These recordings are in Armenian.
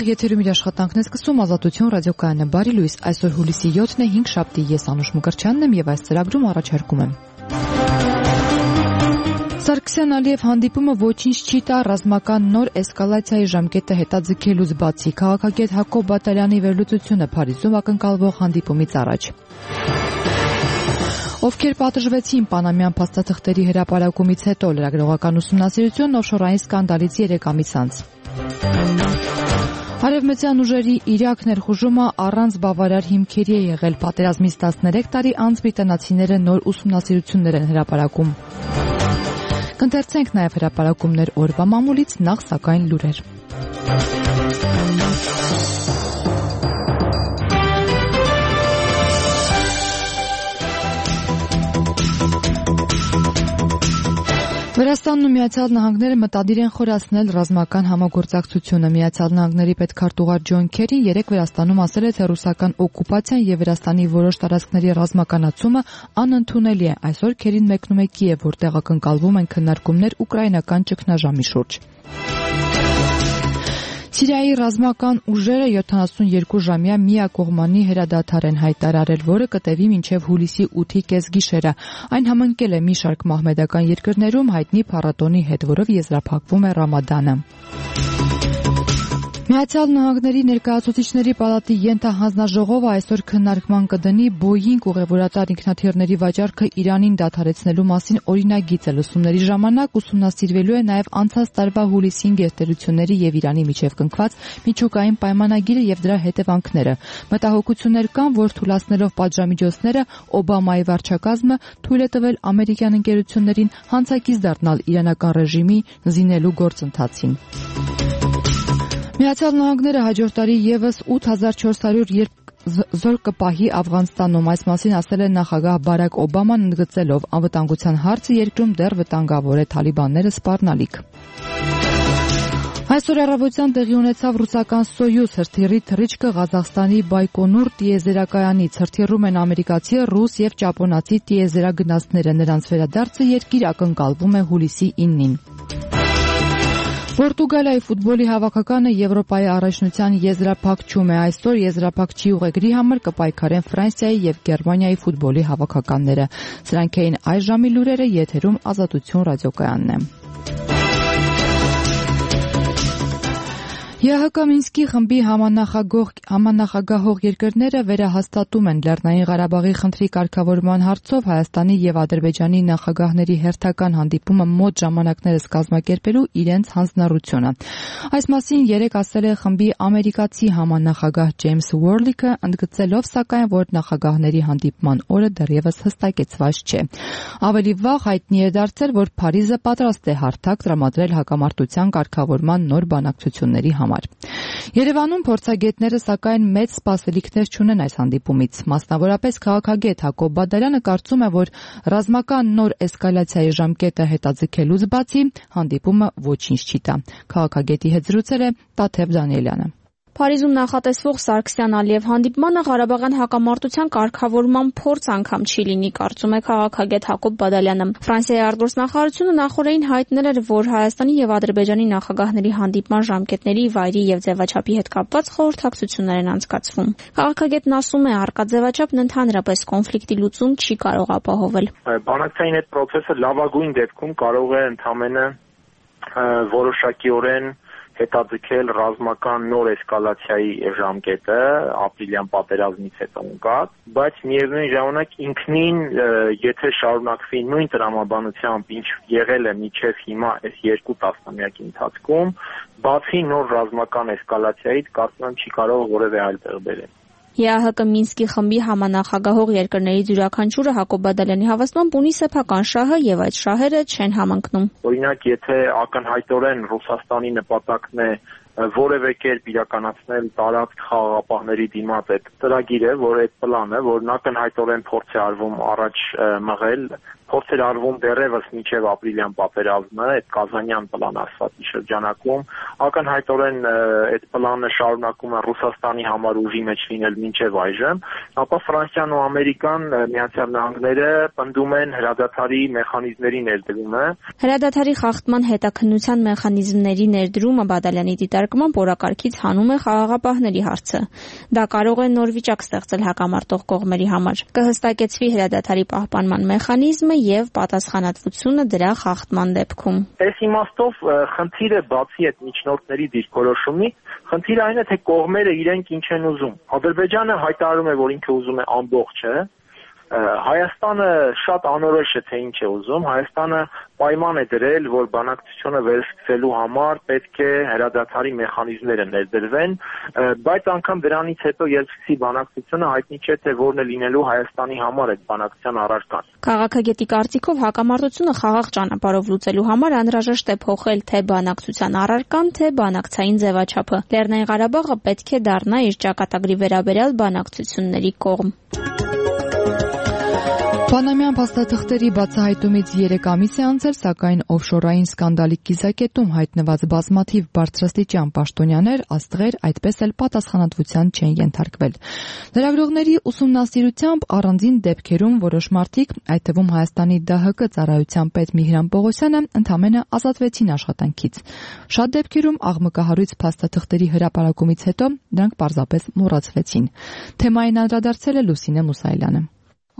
Եթերում իր աշխատանքն է սկսում Ազատություն ռադիոկայանը։ Բարի լույս, այսօր հուլիսի 7-ն է, 5 շաբթի, ես Անուշ Մկրտչյանն եմ եւ այս ծրագրում առաջարկում եմ։ Սարգսյան-Ալիև հանդիպումը ոչինչ չի տա ռազմական նոր էսկալացիայի ժամկետը հետաձգելուց բացի, քաղաքագետ Հակոբ Բադալյանի վերլուծությունը Փարիզում ակնկալվող հանդիպումից առաջ։ Ովքեր պատժվեցին Պանամյան փաստաթղթերի հրապարակումից հետո, լրագրողական ուսումնասիրություն օֆշորային սկանդալից 3 ամիս անց։ Արևմտյան ուժերի Իրաք ներխուժումը առանց բավարար հիմքերի է եղել, պատերազմից 13 տարի անց բրիտանացիները նոր ուսումնասիրություններ են հրապարակում։ Կընթերցենք նաև հրապարակումներ օրվա մամուլից, նախ սակայն լուրեր։ Վրաստանն ու Միացյալ Նահանգները մտադիր են խորացնել ռազմական համագործակցությունը։ Միացյալ Նահանգների պետքարտուղար Ջոն Քերին երեկ Վրաստանում ասել է, թե ռուսական օկուպացիան եւ Վրաստանի որոշ տարածքների ռազմականացումը անընդունելի է։ Այսօր Քերին մեկնում է Կիև, որտեղ ակնկալվում են քննարկումներ ուկրաինական ճգնաժամի շուրջ։ Սիրիայի ռազմական ուժերը 72-ժամյա միակողմանի հրադադար են հայտարարել, որը կտևի մինչև հուլիսի 8-ի կեսգիշերը։ Այն համընկել է մի շարք մահմեդական երկրներում հայտնի փառատոնի հետ, որով եզրափակվում է Ռամադանը։ Միացյալ Նահանգների ներկայացուցիչների պալատի ենթահանձնաժողովը այսօր քննարկման կդնի Boeing ուղևորատար ինքնաթիռների վաճառքը Իրանին դադարեցնելու մասին օրինագիծը։ Լսումների ժամանակ ուսումնասիրվելու է նաև անցած տարվա հուլիսին գերտերությունների եւ Իրանի միջև կնքված միջուկային պայմանագիրը եւ դրա հետևանքները։ Մտահոգություններ կան, որ թույլատնելով պատժամիջոցները Օբամայի վարչակազմը թույլ է տվել ամերիկյան ընկերություններին հանցակից դառնալ իրանական ռեժիմի զինելու գործընթացին։ Միացյալ Նահանգները հաջորդ տարի եւս 8400 զոր կպահի Աֆղանստանում, այս մասին ասել է նախագահ Բարակ Օբաման, ընդգծելով անվտանգության հարցը երկրում դեռ վտանգավոր է, թալիբանները սպառնալիք։ Այսօր առավոտյան տեղի ունեցավ ռուսական Սոյուզ հրթիռի թռիչքը Ղազախստանի Բայկոնուր տիեզերակայանից։ Հրթիռում են ամերիկացի, ռուս եւ ճապոնացի տիեզերագնացները։ Նրանց վերադարձը երկիր ակնկալվում է հուլիսի 9-ին։ Պորտուգալիայի ֆուտբոլի հավաքականը Եվրոպայի առաջնության եզրափակում է։ Այսօր եզրափակչի ուղեգրի համար կպայքարեն Ֆրանսիայի եւ Գերմանիայի ֆուտբոլի հավաքականները։ Սրանք էին այս ժամի լուրերը, եթերում Ազատություն ռադիոկայանն է։ ԵՀԿ Մինսկի խմբի համանախագահող երկրները վերահաստատում են Լեռնային Ղարաբաղի խնդրի կարգավորման հարցով Հայաստանի եւ Ադրբեջանի նախագահների հերթական հանդիպումը մոտ ժամանակներս կազմակերպելու իրենց հանձնառությունը։ Այս մասին երեկ ասել է խմբի ամերիկացի համանախագահ Ջեյմս Ուորլիկը, ընդգծելով սակայն, որ նախագահների հանդիպման օրը դեռևս հստակեցված չէ։ Ավելի վաղ հայտնի է դարձել, որ Փարիզը պատրաստ է հարթակ տրամադրել հակամարտության կարգավորման նոր բանակցությունների համար։ Երևանում փորձագետները սակայն մեծ սպասելիքներ չունեն այս հանդիպումից։ Մասնավորապես քաղաքագետ Հակոբ Բադալյանը կարծում է, որ ռազմական նոր էսկալացիայի ժամկետը հետաձգելուց բացի հանդիպումը ոչինչ չի տա։ Քաղաքագետի հետ զրուցել է Տաթև Դանիելյանը։ Փարիզում նախատեսվող Սարգսյան-Ալիև հանդիպմանը Ղարաբաղյան հակամարտության կարգավորման փորձ անգամ չի լինի, կարծում է քաղաքագետ Հակոբ Բադալյանը։ Ֆրանսիայի արտգործնախարարությունը նախորդին հայտնել էր, որ Հայաստանի եւ Ադրբեջանի նախագահների հանդիպման ժամկետների, վայրի եւ ձևաչափի հետ կապված խորհրդակցություններ են անցկացվում։ Քաղաքագետն ասում է, առկա ձևաչափն ընդհանրապես կոնֆլիկտի լուծում չի կարող ապահովել։ Բանակցային այդ process-ը լավագույն դեպքում կարող է ընդամենը որոշակիորեն հետաձգել ռազմական նոր էսկալացիայի ժամկետը ապրիլյան պատերազմից հետո ընկած, բայց միևնույն ժամանակ ինքնին եթե շարունակվի նույն տրամաբանությամբ, ինչ եղել է մինչև հիմա այս 2 տասնամյակի ընթացքում, բացի նոր ռազմական էսկալացիայից կարծում եմ չի կարող որևէ այլ տեղ բերել։ ԵԱՀԿ Մինսկի խմբի համանախագահող երկրների յուրաքանչյուրը Հակոբ Բադալյանի հավաստմամբ ունի սեփական շահը եւ այդ շահերը չեն համընկնում։ Օրինակ, եթե ակնհայտորեն Ռուսաստանի նպատակն է որևէ կերպ իրականացնել տարածք խաղաղապահների դիմաց այդ ծրագիրը, որ այդ պլանը, որն ակնհայտորեն փորձ է արվում առաջ մղել, փորձ էր արվում դեռևս մինչև ապրիլյան պատերազմը, այդ Կազանյան պլան ասվածի շրջանակում, ակնհայտորեն այդ պլանը շարունակում է Ռուսաստանի համար ուժի մեջ լինել մինչև այժմ, ապա Ֆրանսիան ու Ամերիկան, Միացյալ Նահանգները պնդում են հրադադարի մեխանիզմների ներդրումը։ Հրադադարի խախտման հետաքննության մեխանիզմների ներդրումը Բադալյանի քվեարկմամբ օրակարգից հանում է խաղաղապահների հարցը։ Դա կարող է նոր վիճակ ստեղծել հակամարտող կողմերի համար։ Կհստակեցվի հրադադարի պահպանման մեխանիզմը եւ պատասխանատվությունը դրա խախտման դեպքում։ Այս իմաստով խնդիրը բացի այդ միջնորդների դիրքորոշումից, խնդիրը այն է, թե կողմերը իրենք ինչ են ուզում։ Ադրբեջանը հայտարարում է, որ ինքը ուզում է ամբողջը, Հայաստանը շատ անորոշ է, թե ինչ է ուզում, Հայաստանը պայման է դրել, որ բանակցությունը վերսկսելու համար պետք է հրադադարի մեխանիզմները ներդրվեն, բայց անգամ դրանից հետո երբ սկսի բանակցությունը հայտնի չէ, թե որն է լինելու Հայաստանի համար այդ բանակցության առարկան։ Քաղաքագետի կարծիքով հակամարտությունը խաղաղ ճանապարհով լուծելու համար անհրաժեշտ է փոխել թե բանակցության առարկան, թե բանակցային ձևաչափը։ Լեռնային Ղարաբաղը պետք է դառնա իր ճակատագրի վերաբերյալ բանակցությունների կողմ։ Պանամյան փաստաթղթերի բացահայտումից 3 ամիս է անցել, սակայն օֆշորային սկանդալի կիզակետում հայտնված բազմաթիվ բարձրաստիճան պաշտոնյաներ, աստղեր, այդպես էլ պատասխանատվության չեն ենթարկվել։ Լրագրողների ուսումնասիրությամբ առանձին դեպքերում որոշ մարդիկ, այդ թվում Հայաստանի ԴՀԿ ծառայության պետ Միհրան Պողոսյանը, ընդամենը ազատվեցին աշխատանքից։ Շատ դեպքերում աղմկահարույց փաստաթղթերի հրապարակումից հետո դրանք պարզապես մոռացվեցին։ Թեմային անդրադարձել է Լուսինե Մուսայելյանը։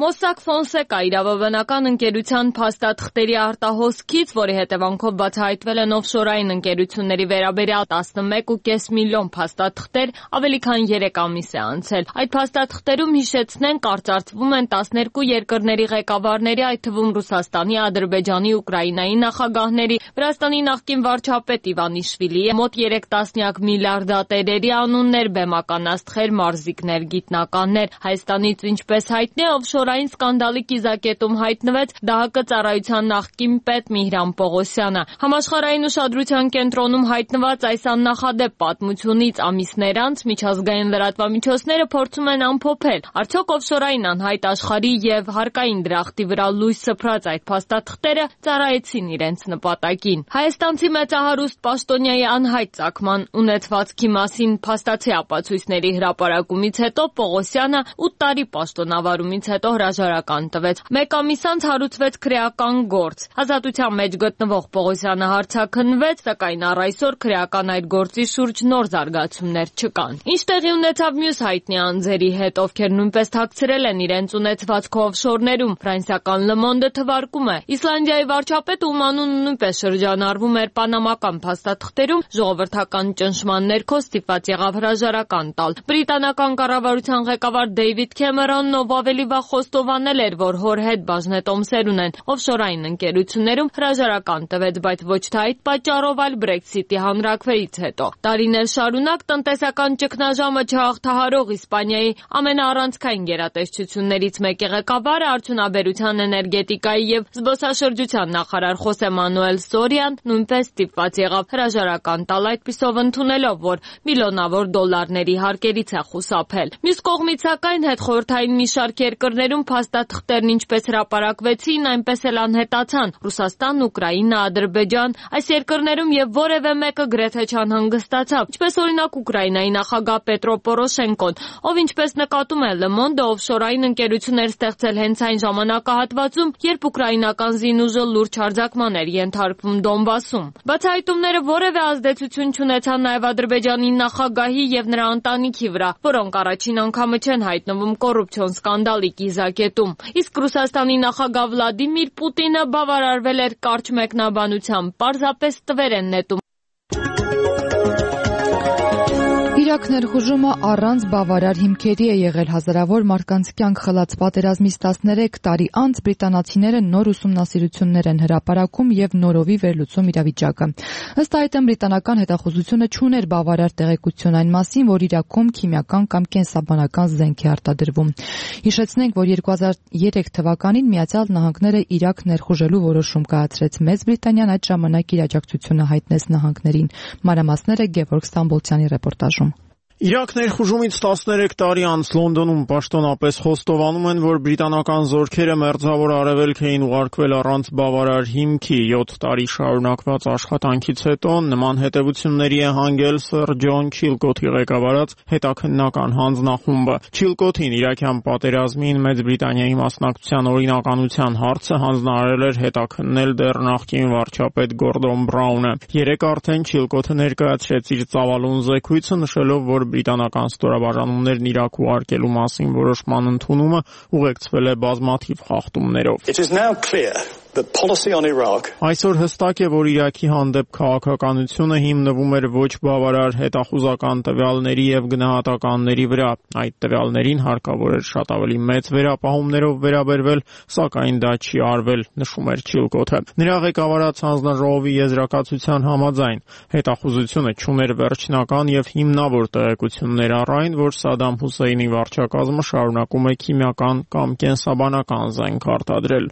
Մոսակ Ֆոնսեկա իրավաբանական ընկերության փաստաթղթերի արտահոսքից, որի հետևանքով բացահայտվել են օֆշորային ընկերությունների վերաբերյալ 11.5 միլիոն փաստաթղթեր, ավելի քան 3 ամիս է անցել։ Այդ փաստաթղթերում, հիշեցնենք, կարծրատվում են 12 երկրների ղեկավարների, այդ թվում Ռուսաստանի, Ադրբեջանի, Ուկրաինայի նախագահների, Վրաստանի նախկին վարչապետ Իվանիշվիլիի, մոտ 3 տասնյակ միլիարդատերերի անուններ, բեմական աստղեր, մարզիկներ, գիտնականներ։ Հայաստանից, ինչպես հայտնի է, օֆշորային սկանդալի կիզակետում հայտնվեց ԴՀԿ ծառայության նախկին պետ Միհրան Պողոսյանը։ Համաշխարհային ուշադրության կենտրոնում հայտնված այս աննախադեպ պատմությունից ամիսներ անց միջազգային լրատվամիջոցները փորձում են ամփոփել, արդյոք օֆշորային անհայտ աշխարհի եւ հարկային դրախտի վրա լույս սփռած այդ փաստաթղթերը ծառայեցին իրենց նպատակին։ Հայաստանցի մեծահարուստ պաշտոնյայի անհայտ ծագման ունեցվածքի մասին փաստացի ապացույցների հրապարակումից հետո Պողոսյանը 8 տարի պաշտոնավարումից հետո հրաժարական տվեց։ Մեկ ամիս անց հարուցվեց քրեական գործ։ Ազատության մեջ գտնվող Պողոսյանը հարցաքննվեց, սակայն առ այսօր քրեական այդ գործի շուրջ նոր զարգացումներ չկան։ Ինչ տեղի ունեցավ մյուս հայտնի անձերի հետ, ովքեր նույնպես թաքցրել են իրենց ունեցվածքը օֆշորներում։ Ֆրանսիական Le Monde-ը թվարկում է. Իսլանդիայի վարչապետը, ում անունը նույնպես շրջանառվում էր պանամական փաստաթղթերում, ժողովրդական ճնշման ներքո ստիպված եղավ հրաժարական տալ։ Բրիտանական կառավարության ղեկավար Դեյվիդ Քեմերոնն, ով ավելի վաղ խոստովանել էր, որ հոր հետ բաժնետոմսեր ունեն օֆշորային ընկերություններում, հրաժարական տվեց, բայց ոչ թե այդ պատճառով, այլ Brexit-ի հանրաքվեից հետո։ Տարիներ շարունակ տնտեսական ճգնաժամը չհաղթահարող Իսպանիայի ամենաառանցքային գերատեսչություններից մեկի ղեկավարը, արդյունաբերության, էներգետիկայի եւ զբոսաշրջության նախարար Խոսե Մանուել Սորիան նույնպես ստիպված եղավ հրաժարական տալ, այդպիսով ընդունելով, որ միլիոնավոր դոլարների հարկերից է խուսափել։ Մյուս կողմից, սակայն, հետխորհրդային մի շարք երկրներում փաստաթղթերն ինչպես հրապարակվեցին, այնպես էլ անհետացան։ Ռուսաստան, Ուկրաինա, Ադրբեջան, այս երկրներում եւ որևէ մեկը գրեթե չանհանգստացավ, ինչպես օրինակ Ուկրաինայի նախագահ Պետրո Պորոշենկոն, ով ինչպես նկատում է Le Monde, օֆշորային ընկերություններ ստեղծել հենց այն ժամանակահատվածում, երբ ուկրաինական զինուժը լուրջ հարձակման էր ենթարկվում Դոնբասում։ Բացահայտումները որևէ ազդեցություն չունեցան նաեւ Ադրբեջանի նախագահի եւ նրա ընտանիքի վրա, որոնք առաջին անգամը չեն հայտնվում կոռուպցիոն սկանդալի կիզակետում։ Իսկ Ռուսաստանի նախագահ Վլադիմիր Պուտինը բավարարվել էր կարճ մեկնաբանությամբ, պարզապես տվեր են նետում։ Իրաք ներխուժումը առանց բավարար հիմքերի է եղել, հազարավոր մարդկանց կյանք խլած պատերազմից 13 տարի անց բրիտանացիները նոր ուսումնասիրություններ են հրապարակում եւ նորովի վերլուծում իրավիճակը։ Ըստ այդմ բրիտանական հետախուզությունը չուներ բավարար տեղեկություն այն մասին, որ Իրաքում քիմիական կամ կենսաբանական զենք է արտադրվում։ Հիշեցնենք, որ 2003 թվականին Միացյալ Նահանգները Իրաք ներխուժելու որոշում կայացրեց։ Մեծ Բրիտանիան այդ ժամանակ իր աջակցությունը հայտնեց նահանգներին։ Մանրամասները Գևորգ Ստամբոլցյանի ռեպորտաժում։ Իրաք ներխուժումից 13 տարի անց Լոնդոնում պաշտոնապես խոստովանում են, որ բրիտանական զորքերը մերձավոր արևելք էին ուղարկվել առանց բավարար հիմքի։ 7 տարի շարունակված աշխատանքից հետո նման հետևությունների է հանգել Սր Ջոն Չիլկոթի ղեկավարած հետաքննական հանձնախումբը։ Չիլկոթին Իրաքյան պատերազմին Մեծ Բրիտանիայի մասնակցության օրինականության հարցը հանձնարարել էր հետաքննել դեռ նախկին վարչապետ Գորդոն Բրաունը։ Երեկ արդեն Չիլկոթը ներկայացրեց իր ծավալուն զեկույցը, նշելով, որ բրիտանական ստորաբաժանումներն Իրաք ուղարկելու մասին որոշման ընդունումը ուղեկցվել է բազմաթիվ խախտումներով։ Այսօր հստակ է, որ Իրաքի հանդեպ քաղաքականությունը հիմնվում էր ոչ բավարար հետախուզական տվյալների եւ գնահատականների վրա։ Այդ տվյալներին հարկավոր էր շատ ավելի մեծ վերապահումներով վերաբերվել, սակայն դա չի արվել, նշում էր Չիլկոթը։ Նրա ղեկավարած հանձնաժողովի եզրակացության համաձայն հետախուզությունը չուներ վերջնական եւ հիմնավոր տեղեկություններ առ այն, որ Սադամ Հուսեյնի վարչակազմը շարունակում է քիմիական կամ կենսաբանական զենք արտադրել։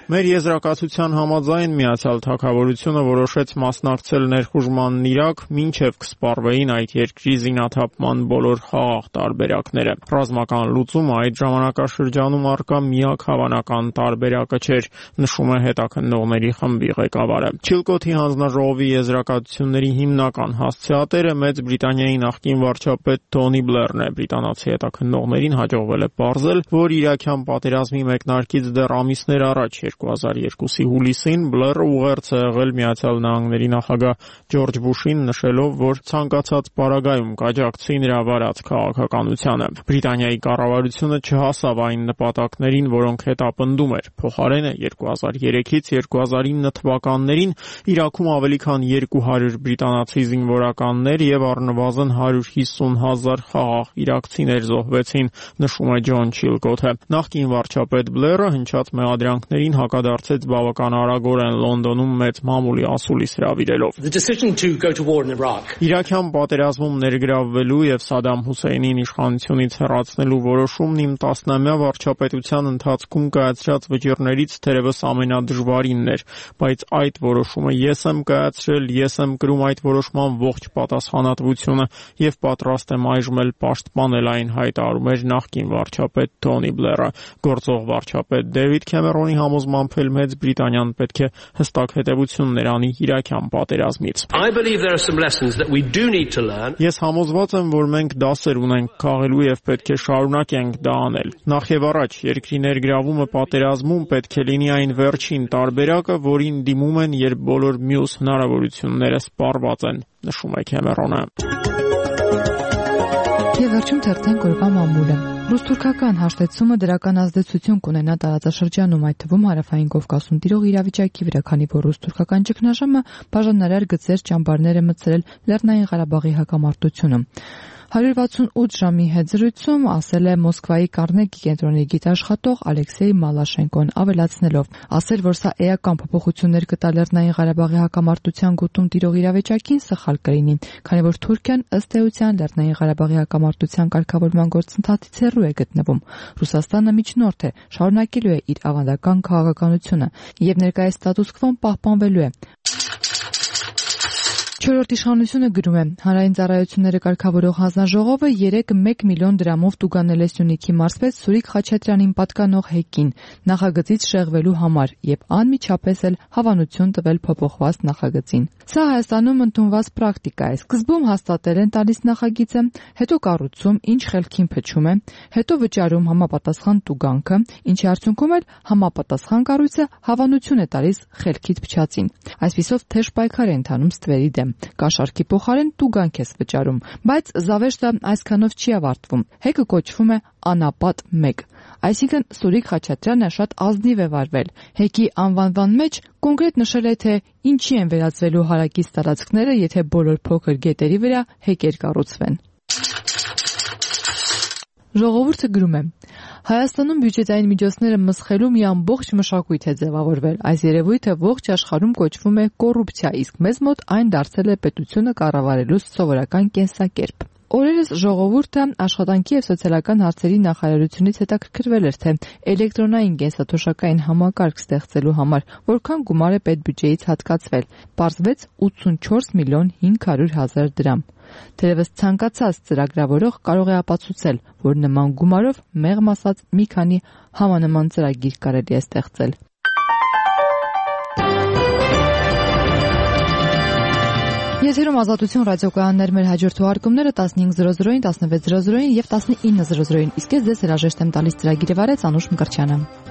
Մեր եզրակացության համաձայն Միացյալ Թագավորությունը որոշեց մասնակցել ներխուժմանն Իրաք, մինչև կսպառվեին այդ երկրի զինաթափման բոլոր խաղաղ տարբերակները։ Ռազմական լուծումը այդ ժամանակաշրջանում առկա միակ հավանական տարբերակը չէր, նշում է հետաքննողների խմբի ղեկավարը։ Չիլկոթի հանձնաժողովի եզրակացությունների հիմնական հասցեատերը Մեծ Բրիտանիայի նախկին վարչապետ Թոնի Բլերն է։ Բրիտանացի հետաքննողներին հաջողվել է պարզել, որ իրաքյան պատերազմի մեկնարկից դեռ ամիսներ առաջ 2002-ի հուլիսին Բլերը ուղերձ է եղել Միացյալ Նահանգների նախագահ Ջորջ Բուշին, նշելով, որ ցանկացած պարագայում կաջակցի նրա վարած քաղաքականությանը։ Բրիտանիայի կառավարությունը չհասավ այն նպատակներին, որոնք հետապնդում էր։ Փոխարենը 2003-ից 2009 թվականներին Իրաքում ավելի քան 200 բրիտանացի զինվորականներ եւ առնվազն 150,000 խաղաղ իրաքցիներ զոհվեցին, նշում է Ջոն Չիլկոթը։ Նախկին վարչապետ Բլերը հնչած մեղադրանքներին հակադարձեց բավական արագորեն Լոնդոնում մեծ մամուլի ասուլիս հրավիրելով։ Իրաքյան պատերազմում ներգրավվելու եւ Սադամ Հուսեյնին իշխանությունից հեռացնելու որոշումն իմ 10-ամյա վարչապետության ընթացքում կայացրած վճիռներից թերևս ամենադժվարինն էր, բայց այդ որոշումը ես եմ կայացրել, ես եմ կրում այդ որոշման ողջ պատասխանատվությունը եւ պատրաստ եմ այժմ էլ պաշտպանել այն, հայտարարում էր նախկին վարչապետ Թոնի Բլերը։ Գործող վարչապետ Դեվիդ Քեմերոնի համոզմամբ էլ Մեծ Բրիտանիան պետք է հստակ հետևություններ անի իրաքյան պատերազմից։ Ես համոզված եմ, որ մենք դասեր ունենք քաղելու եւ պետք է շարունակենք դա անել։ Նախ եւ առաջ երկրի ներգրավումը պատերազմում պետք է լինի այն վերջին տարբերակը, որին դիմում են, երբ բոլոր մյուս հնարավորությունները սպառված են, նշում է Քեմերոնը։ Եվ վերջում թերթենք օրվա մամուլը։ Ռուս-թուրքական հաշտեցումը դրական ազդեցություն կունենա տարածաշրջանում, այդ թվում Հարավային Կովկասում տիրող իրավիճակի վրա, քանի որ ռուս-թուրքական ճգնաժամը բաժանարար գծեր ճամբարներ է մտցրել Լեռնային Ղարաբաղի հակամարտությունը։ 168 ժամի հետ զրույցում ասել է Մոսկվայի Կարնեգի կենտրոնի գիտաշխատող Ալեքսեյ Մալաշենկոն, ավելացնելով, ասել, որ սա էական փոփոխություններ կտա Լեռնային Ղարաբաղի հակամարտության գոտում տիրող իրավիճակին, սխալ կլինի, քանի որ Թուրքիան ըստ էության Լեռնային Ղարաբաղի հակամարտության կարգավորման գործընթացից հեռու է գտնվում։ Ռուսաստանը միջնորդ է, շարունակելու է իր ավանդական քաղաքականությունը եւ ներկայիս ստատուս քվոն պահպանվելու է։ Չորրորդ իշխանությունը գրում է. Հանրային ծառայությունները կարգավորող հանձնաժողովը 1 միլիոն դրամով տուգանել է Սյունիքի մարզպետ Սուրիկ Խաչատրյանին պատկանող հեկին նախագծից շեղվելու համար եւ անմիջապես էլ հավանություն տվել փոփոխված նախագծին։ Սա Հայաստանում ընդունված պրակտիկա է։ Սկզբում հաստատել են տալիս նախագիծը, հետո կառուցում, ինչ խելքին փչում է, հետո վճարում համապատասխան տուգանքը, ինչի արդյունքում էլ համապատասխան կառույցը հավանություն է տալիս խելքից փչածին։ Այսպիսով թեժ պայքար է ընթանում ստվերի դեմ։ Կաշառքի փոխարեն տուգանք ես վճարում, բայց զավեշտը այսքանով չի ավարտվում։ Հեկը կոչվում է անապատ 1։ Այսինքն Սուրիկ Խաչատրյանը շատ ազնիվ է վարվել։ Հեկի անվանման մեջ կոնկրետ նշել է, թե ինչի են վերածվելու հարակից տարածքները, եթե բոլոր փոքր գետերի վրա հեկեր կառուցվեն։ Ժողովուրդը գրում է. Հայաստանում բյուջետային միջոցները մսխելու մի ամբողջ մշակույթ է ձևավորվել։ Այս երևույթը ողջ աշխարհում կոչվում է կոռուպցիա, իսկ մեզ մոտ այն դարձել է պետությունը կառավարելու սովորական կենսակերպ։ Օրերս ժողովուրդը աշխատանքի եւ սոցիալական հարցերի նախարարությունից հետաքրքրվել էր, թե էլեկտրոնային կենսաթոշակային համակարգ ստեղծելու համար որքան գումար է պետբյուջեից հատկացվել։ Պարզվեց 84 միլիոն 500 հազար դրամ։ Թերևս ցանկացած ծրագրավորող կարող է ապացուցել, որ նման գումարով մեղմ ասած մի քանի համանման ծրագիր կարելի է ստեղծել։ Եթերում Ազատություն ռադիոկայաններ, մեր հաջորդ թողարկումները 15:00-ին, 16:00-ին եւ 19:00-ին։ Իսկ ես ձեզ հրաժեշտ եմ տալիս ծրագիրը վարեց Անուշ Մկրտչյանը։